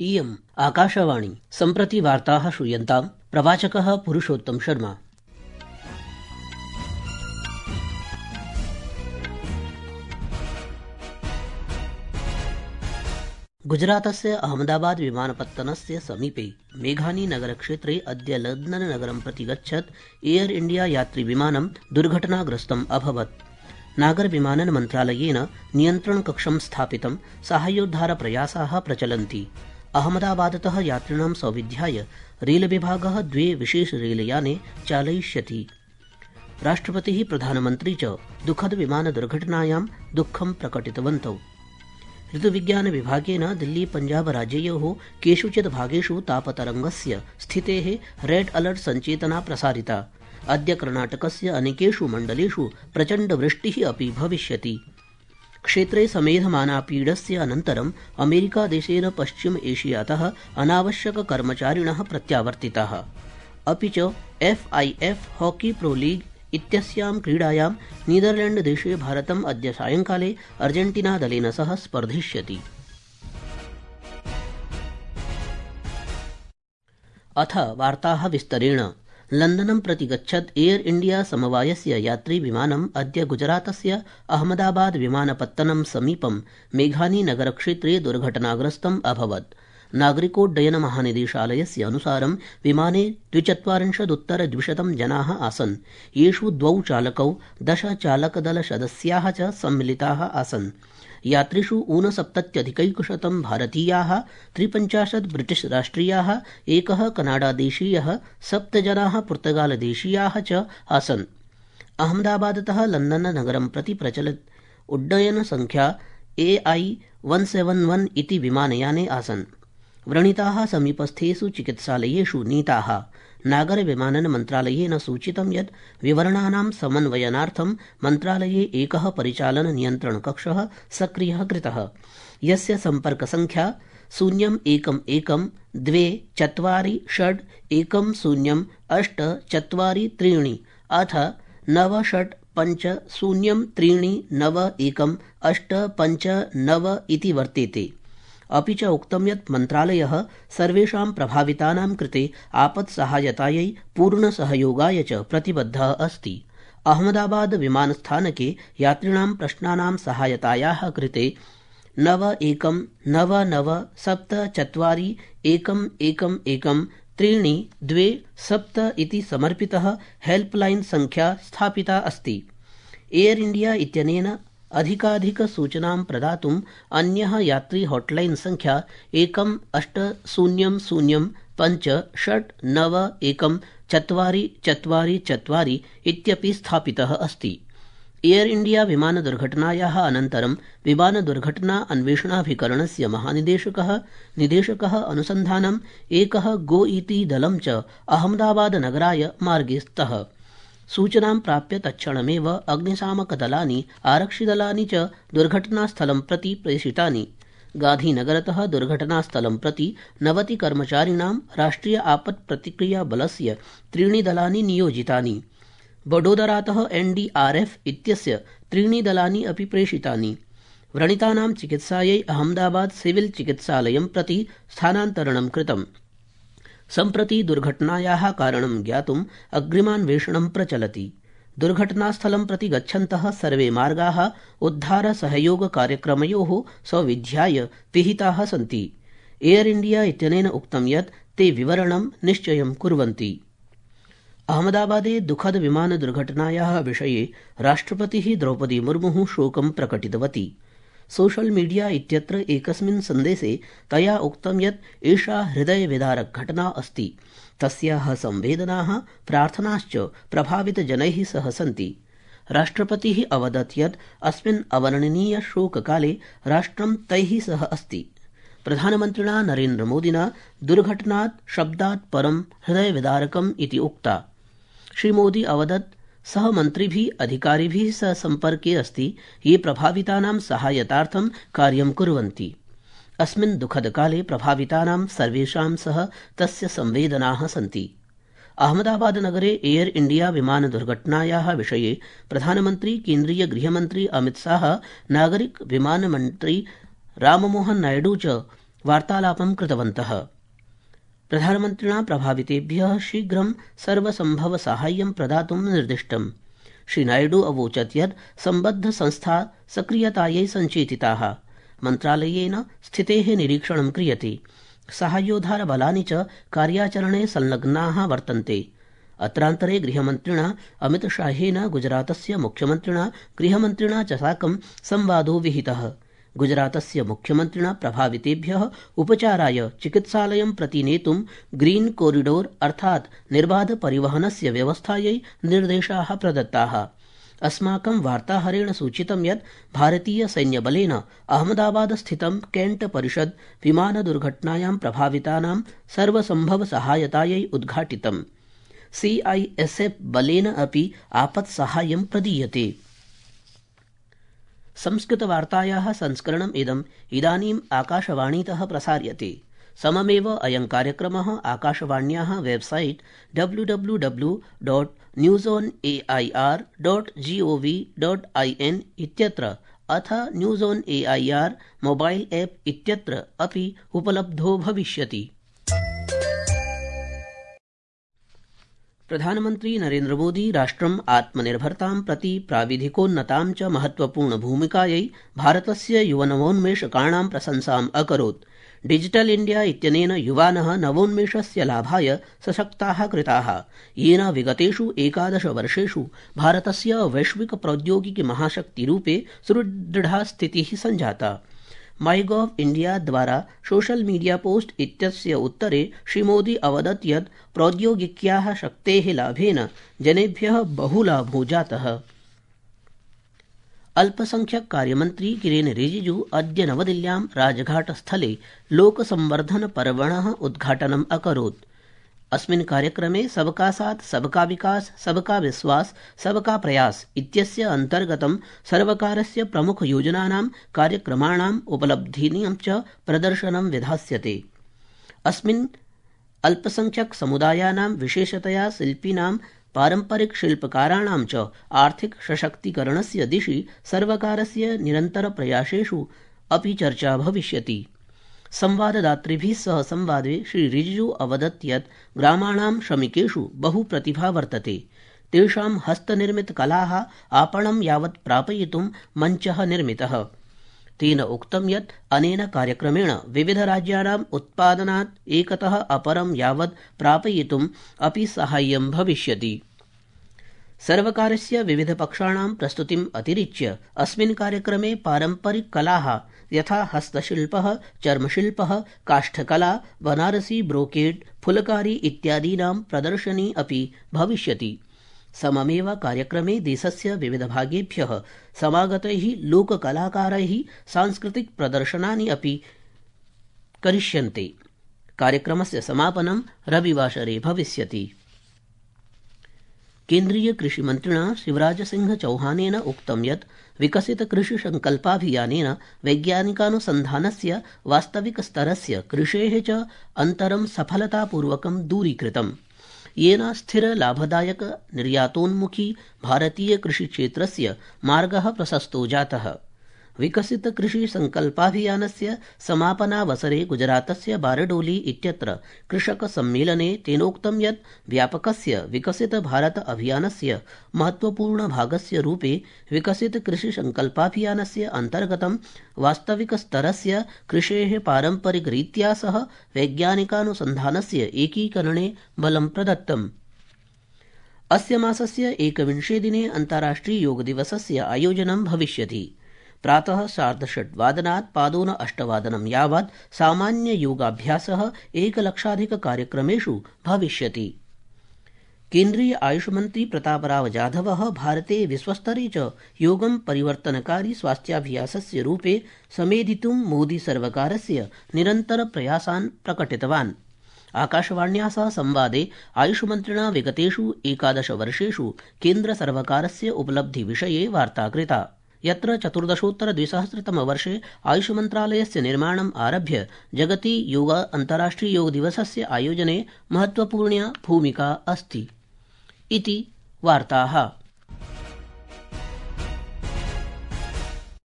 इयम् आकाशवाणी। सम्प्रति वार्ताः श्रूयन्ताम्। प्रवाचकः पुरुषोत्तम शर्मा। गुजरातस्य अहमदाबाद विमानपत्तनस्य समीपे मेघानी नगरक्षेत्रे अद्य लंदन नगरं प्रति गच्छत् एयर इंडिया यात्रिविमानं दुर्घटनाग्रस्तम् अभवत्। नागरविमानन मन्त्रालयेन नियन्त्रणकक्षं स्थापितं साहाय्योद्धारप्रयासाः प्रचलन्ति। अहमदाबादतः यात्रिणां सौविध्याय रेलविभागः 2 विशेषरेलयाने चालयिष्यति। राष्ट्रपतिः प्रधानमन्त्री च दुःखदविमानदुर्घटनायां दुःखं प्रकटितवन्तौ। ऋतुविज्ञानविभागेन दिल्ली पंजाब राज्ययोः केषुचित् भागेषु तापतरङ्गस्य स्थितेः रेड अलर्ट सञ्चेतना प्रसारिता। अद्य कर्णाटकस्य अनेकेषु मण्डलेषु प्रचण्डवृष्टिः अपि भविष्यति। क्षेत्रे समेधमाना पीडस्य अनन्तरं अमेरिकादेशेन पश्चिम एशियातः अनावश्यककर्मचारिणः प्रत्यावर्तिताः। अपि च FIF हॉकी प्रो लीग इत्यस्यां क्रीडायां नीदरलैण्डदेशे भारतम् अद्य सायंकाले अर्जेन्टीना दलेन सह स्पर्धिष्यति। अथ वार्ताः विस्तरेण। लंदनं प्रति गच्छत् एयर इंडिया समवायस्य यात्रिविमानम् अद्य गुजरातस्य अहमदाबाद विमानपत्तनं समीपं मेघानी नगरक्षेत्रे दुर्घटनाग्रस्तम् अभवत्। नागरिकोड्डयन महानिदेशालयस्य अनुसारं विमाने 42 जनाः आसन्, येषु 2 चालकौ 10 चालकदलसदस्याः च सम्मिलिताः आसन्। यात्रिषु 69 भारतीयाः, 53 ब्रिटिश राष्ट्रियाः, 1 कनाडादेशीयः, 7 जनाः पुर्तगालदेशीयाः च आसन्। अहमदाबादतः लंदन नगरं प्रति प्रचलत् उड्डयन संख्या AI-171 इति विमानयाने आसन्। व्रणिताः समीपस्थेषु चिकित्सालयेषु नीताः। नागरविमानन मन्त्रालयेन सूचितं यत् विवरणानां समन्वयनार्थं मन्त्रालये एकः परिचालन नियन्त्रणकक्षः सक्रियः कृतः, यस्य सम्पर्कसङ्ख्या 0112461083 अथ 9650391859 इति वर्तेते। अपि च उक्तं यत् मन्त्रालयः सर्वेषां प्रभावितानां कृते आपत्सहायतायै पूर्णसहयोगाय च प्रतिबद्धः अस्ति। अहमदाबाद विमानस्थानके यात्रिणां प्रश्नानां सहायतायाः कृते 9174141132 इति समर्पितः हेल्पलाइन संख्या स्थापिता अस्ति। एयर इंडिया इत्यनेन अधिकाधिकसूचनां प्रदातुम् अन्यः यात्री हॉटलाइन संख्या 180056914444 इत्यपि स्थापितः अस्ति। एयर इंडिया विमानदुर्घटनायाः अनन्तरं विमानदुर्घटना अन्वेषणाभिकरणस्य निदेशकः अनुसन्धानम् एकः गो इति दलं च अहमदाबाद नगराय मार्गे स्तः। सूचनां प्राप्य तत्क्षणमेव अग्निशामकदलानि, आरक्षिदलानि च दुर्घटनास्थलं प्रति प्रेषितानि। गांधीनगरतः दुर्घटनास्थलं प्रति 90 कर्मचारिणां राष्ट्रिय आपत् प्रतिक्रिया बलस्य 3 दलानि नियोजितानि। वडोदरातः NDRF इत्यस्य 3 दलानि अपि प्रेषितानि। व्रणितानां चिकित्सायै अहमदाबाद सिविल चिकित्सालयं प्रति स्थानान्तरणं कृतम्। सम्प्रति दुर्घटनायाः कारणं ज्ञातुम् अग्रिमान्वेषणं प्रचलति। दुर्घटनास्थलं प्रति गच्छन्तः सर्वे मार्गाः उद्धारसहयोगकार्यक्रमयोः सौविध्याय पिहिताः सन्ति। एयर इंडिया इत्यनेन उक्तं यत् ते विवरणं निश्चयं कुर्वन्ति। अहमदाबादे दुःखद विमानदुर्घटनायाः विषये राष्ट्रपतिः द्रौपदी मुर्मुः शोकं प्रकटितवती। सोशल मीडिया इत्यत्र एकस्मिन् सन्देशे तया उक्तं यत् एषा हृदयविदारक घटना अस्ति। तस्याः संवेदनाः प्रार्थनाश्च प्रभावितजनैः सह सन्ति। राष्ट्रपतिः अवदत् यत् अस्मिन् अवर्णनीय शोककाले राष्ट्रं तैः सह अस्ति। प्रधानमन्त्रिणा नरेन्द्रमोदिना दुर्घटनात् शब्दात् परं हृदयविदारकम् इति उक्ता। श्रीमोदी अवदत् सः मन्त्रिभिः अधिकारिभिः सह सम्पर्के अस्ति, ये प्रभावितानां सहायतार्थं कार्यं कुर्वन्ति। अस्मिन् दुःखदकाले प्रभावितानां सर्वेषां सह तस्य संवेदनाः सन्ति। अहमदाबाद नगरे एयर इंडिया विमान दुर्घटनायाः विषये प्रधानमन्त्री, केन्द्रीय गृहमन्त्री अमित शाह, नागरिक विमान मन्त्री राममोहन नायडू च वार्तालापं कृतवन्तः। प्रधानमन्त्रिणा प्रभावितेभ्यः शीघ्रं सर्वसम्भव साहाय्यं प्रदातुं निर्दिष्टम्। श्रीनायडू अवोचत् यत् सम्बद्धसंस्था सक्रियतायै सञ्चेतिताः। मन्त्रालयेन स्थितेः निरीक्षणं क्रियते। साहाय्योद्धारबलानि च कार्याचरणे संलग्नाः वर्तन्ते। अत्रान्तरे गृहमन्त्रिणा अमितशाहेन गुजरातस्य मुख्यमन्त्रिणा गृहमन्त्रिणा च साकं संवादो विहितः। गुजरातस्य मुख्यमन्त्रिणा प्रभावितेभ्यः उपचाराय चिकित्सालयं प्रति नेतुं ग्रीन कोरिडोर अर्थात् निर्बाध परिवहनस्य व्यवस्थायै निर्देशाः प्रदत्ताः। अस्माकं वार्ताहरेण सूचितं यत् भारतीय सैन्यबलेन अहमदाबाद स्थितं कैंट परिषद विमानदुर्घटनायां प्रभावितानां सर्वसम्भव सहायतायै उद्घाटितम्। CISF बलेन अपि आपत्साहाय्यं प्रदीयते। संस्कृतवार्तायाः संस्करणम् इदानीम् आकाशवाणीतः प्रसार्यते। सममेव अयं कार्यक्रमः आकाशवाण्याः वेबसाइट www.newsonair.gov.in इत्यत्र अथ news on AIR mobile app इत्यत्र अपि उपलब्धो भविष्यति। प्रधानमन्त्री नरेन्द्र मोदी राष्ट्रम् आत्मनिर्भरतां प्रति प्राविधिकोन्नतां च महत्वपूर्ण भूमिकायै भारतस्य युवनवोन्मेषकाणां प्रशंसाम् अकरोत्। डिजिटल इंडिया इत्यनेन युवानः नवोन्मेषस्य लाभाय सशक्ताः कृताः, येन विगतेषु 11 वर्षेषु भारतस्य वैश्विक प्रौद्योगिकी महाशक्तिरूपे सुदृढा स्थितिः सञ्जाता। माईगॉव इंडिया द्वारा सोशल मीडिया पोस्ट इत्यस्य उत्तरे श्रीमोदी अवदत् यत् प्रौद्योगिक्याः शक्तेः लाभेन जनेभ्यः बहुलाभो जातः। अल्पसंख्यक कार्यमन्त्री किरेन रिजिजू अद्य नवदिल्ल्यां राजघाटस्थले लोकसंवर्धन पर्वणः उद्घाटनम् अकरोत्। अस्मिन् कार्यक्रमे सबका साथ सबका विकास सबका विश्वास सबका प्रयास इत्यस्य अन्तर्गतं सर्वकारस्य प्रमुखयोजनानां कार्यक्रमाणाम् उपलब्धीनां च प्रदर्शनं विधास्यते। अस्मिन् अल्पसंख्यक समुदायानां विशेषतया शिल्पिनां पारम्परिक शिल्पकाराणां च आर्थिक सशक्तीकरणस्य दिशि सर्वकारस्य निरन्तरप्रयासेषु अपि चर्चा भविष्यति। संवाददातृभिः सह संवादे श्री रिजिजू अवदत् यत् ग्रामाणां श्रमिकेषु बहु प्रतिभा वर्तते। तेषां हस्तनिर्मितकलाः आपणं यावत् प्रापयितुं मञ्चः निर्मितः। तेन उक्तं यत् अनेन कार्यक्रमेण विविधराज्यानाम् उत्पादनात् एकतः अपरं यावत् प्रापयितुम् अपि साहाय्यं भविष्यति। सर्वकारस्य विविधपक्षाणां प्रस्तुतिम् अतिरिच्य अस्मिन् कार्यक्रमे पारम्परिककलाः यथा हस्तशिल्पः, चर्मशिल्पः, काष्ठकला, बनारसी ब्रोकेड, फुलकारी इत्यादीनां प्रदर्शनी अपि भविष्यति। सममेव कार्यक्रमे देशस्य विविधभागेभ्यः समागतैः लोककलाकारैः सांस्कृतिक प्रदर्शनानि अपि करिष्यन्ते। कार्यक्रमस्य समापनं रविवासरे भविष्यति। केन्द्रीय कृषिमन्त्रिणा शिवराज सिंह चौहानेन उक्तं यत् विकसित कृषि संकल्पाभियानेन वैज्ञानिकानुसन्धानस्य वास्तविकस्तरस्य कृषेः च अन्तरं सफलतापूर्वकं दूरीकृतम्, येन स्थिर लाभदायक निर्यातोन्मुखी भारतीय कृषिक्षेत्रस्य मार्गः प्रशस्तो जातः। विकसित कृषि संकल्पाभियानस्य समापनावसरे गुजरातस्य बारडोली इत्यत्र कृषक सम्मेलने तेनोक्तं यत् व्यापकस्य विकसित भारत अभियानस्य महत्वपूर्ण भागस्य रूपे विकसित कृषि संकल्पाभियानस्य अन्तर्गतं वास्तविकस्तरस्य कृषेः पारम्परिकरीत्या सह वैज्ञानिकानुसन्धानस्य एकीकरणे बलं प्रदत्तम्। अस्य मासस्य 21 दिने अन्ताराष्ट्रिय योग दिवसस्य आयोजनं भविष्यति। प्रातः 6:30 पादोन 8 यावत् सामान्य योगाभ्यासः 1,00,000 कार्यक्रमेषु भविष्यति। केन्द्रीय आयुष मंत्री प्रतापराव जाधवः भारते विश्वस्तरे च योगं परिवर्तनकारी स्वास्थ्याभ्यासस्य रूपे समेधितुं मोदी सर्वकारस्य निरन्तर प्रयासान् प्रकटितवान्। आकाशवाण्या सह संवादे आयुषमन्त्रिणा विगतेषु 11 वर्षेषु केन्द्रसर्वकारस्य उपलब्धिविषये वार्ता कृता, यत्र 14,200 आयुषमन्त्रालयस्य निर्माणम् आरभ्य जगति अन्ताराष्ट्रिय योग दिवसस्य आयोजने महत्वपूर्णा भूमिका अस्ति इति वार्ताः।